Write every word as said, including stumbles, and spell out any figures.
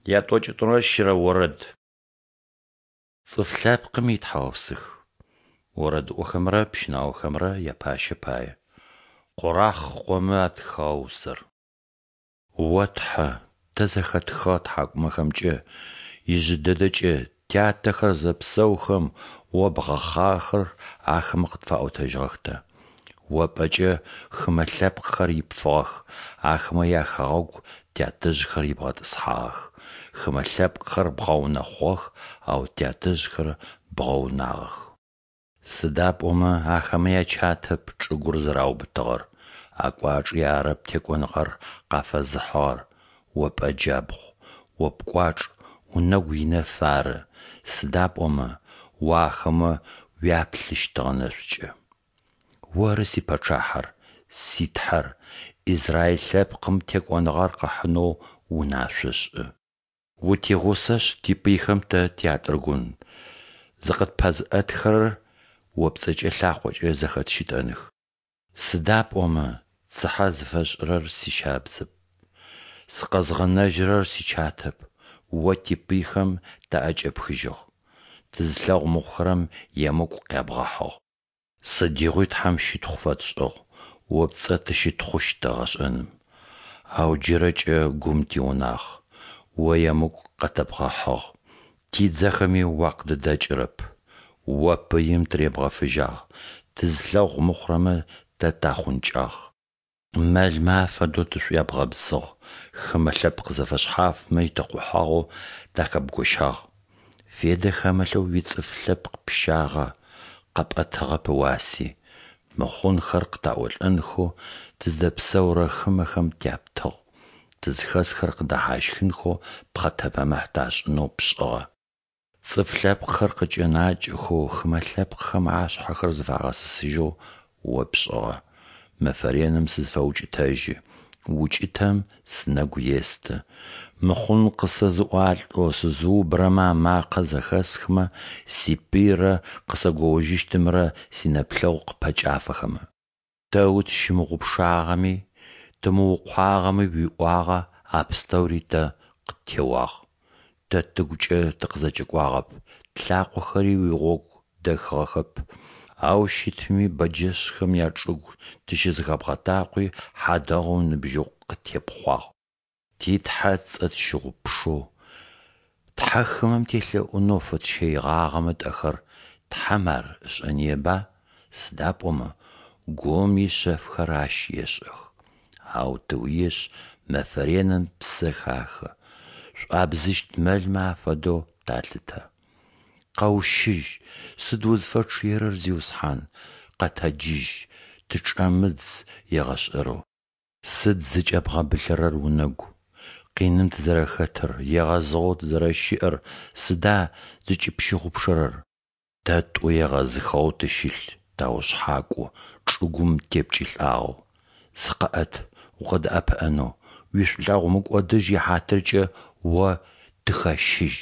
Ятӏокӏитӏурэ щырэ орэд. Цӏыф лъэпкъым итхьаусых. Орэдыӏохэмрэ пщынаохэмрэ япащэ пае. Къорахъ къомэ атхыгъэ усэр. О Тхьэ, тэ зэхэтхыгъэ ттхьакӏумэхэмкӏэ, ижъы дэдэкӏэ, тятэхэр зэпсэухэм О бгъэхъагъэхэр ахэмэ къытфаӏотэжьыгъэх тэ. О пӏэкӏэ хымэ лъэпкъхэр ипфыгъэх, ахэмэ яхэгъэгу тятэжъхэр ибгъэтӏысхьагъэх. Хымэ лъэпкъхэр бгъэунэхъугъэх, ау тятэжъхэр бгъэунагъэх. Сыда пӏомэ ахэмэ ячатэп чӏыгур зэраубытыгъэр, акӏуачӏи арэп текӏоныгъэр къафэзыхьыгъэр, О пӏэ джабгъу, О пкӏуачӏ, унэгу инэф ары, сыда пӏомэ О ахэмэ уяплъыщтыгъэ нэшӏукӏэ. Оры сипэчъахьэр, си Тхьэр, Израиль лъэпкъым текӏоныгъэр къыхьынэу унашъо шӏы. Утигъусэшъ, типыйхэм тэ тятӏыргун, зыкъытпэзыӏэтхэрэр О пцӏэкӏэ лъакъокӏэ зэхэтщытӏэных. Сыда пӏомэ цыхьэ зыфэсшӏырэр сищабзэп, сыкъэзгъэнэжьырэр сичатэп, О типыйхэм таӏэкӏэпхыжьыгъ, тызылъэгъу мыхъухэрэм емыкӏу къябгъэхьыгъ. Сыдигъуи Тхьэм щытхъу фэтшӏыгъ, О пцӏэ тыщытхъущт егъэшӏэным. Ау джырэкӏэ гум тиунагъ, О емыкӏу къэтэбгъэхьыгъ, тидзэхэми уакъыдыдэкӏырэп. О пыим тыребгъэфыжьагъ, тызылъэгъу мыхъурэмэ тэ тахъункӏагъ. Мэлмэ афэдэу тышӏуябгъэбзыгъ, хымэ лъэпкъ зэфэшъхьафмэ итэкъухьагъэу тахэбгощагъ. Федэ хэмылъэу уицӏыф лъэпкъ пщагъэ, къэпӏэтыгъэп ыуаси. Мыхъунхэр къытаӏолӏэнхэу тыздэпсэурэ хымэхэм тяптыгъ, тызхэсхэр къыдэхьащхынхэу пхъэтэпэмыхь ташӏынэу пшӏыгъэ. Цӏыф лъэпкъхэр къыкӏэнакӏэхэу, хымэ лъэпкъхэм ашъхьэхэр зыфагъэсысыжьэу О пшӏыгъэ. Мэфэ реным сызфэукӏытэжьы, укӏытэм сынэгу есты, мыхъун къысэзыӏуалӏэу сызыубырэмэ амакъэ зэхэсхымэ, сипыйрэ къысэгоожьыщтымрэ синэплъэгъу къыпэкӏафэхэмэ. Тэ утщымыгъупшагъэми, тымыукъуагъэми уиӏуагъэ а пстэури тэ къыттеуагъ. Тэ тыгукӏэ тыкъызэкӏэкӏуагъэп, тлъакъохэри уигъогу дэхыгъэхэп, ау щытми бэджэшъхэм ячӏыгу тыщызэхэбгъэтакъуи, хьадэгъум ыныбжьыкъу къыттепхъуагъ. Ти Тхьэ ыцӏэ тщыгъупшэу, тхьэ хымэм телъэӏунэу фэтщэигъагъэмэ тӏэхэр, Тхьэм ар ышӏэныеба, сыда пӏомэ гум ишъэфхэр Ащ ешӏэх. Ау тыуиешъ, мэфэ реным тпсэ хахы, шӏуабзыщт мэлмэ афэдэу талъытэ. Къэущыжь, сыд узфэчъыерэр, Зиусхьан, къэтэджыжь, тычӏэмыдз егъэшӏэрэу. Сыд зыкӏэбгъэбылъырэр унэгу? Къиным тызэрэхэтыр, егъэзыгъэу тызэрэщыӏэр сыда зыкӏыпщыгъупшэрэр? Тэ тӏу егъэзыхыгъэу тыщылъ, таушъхьакӏу, чӏыгум тепкӏылӏагъэу. Зыкъэӏэт, укъыддэӏэпыӏэнэу, уишӏулъэгъу мыкӏодыжь ихьатыркӏэ О тыхэщыжь.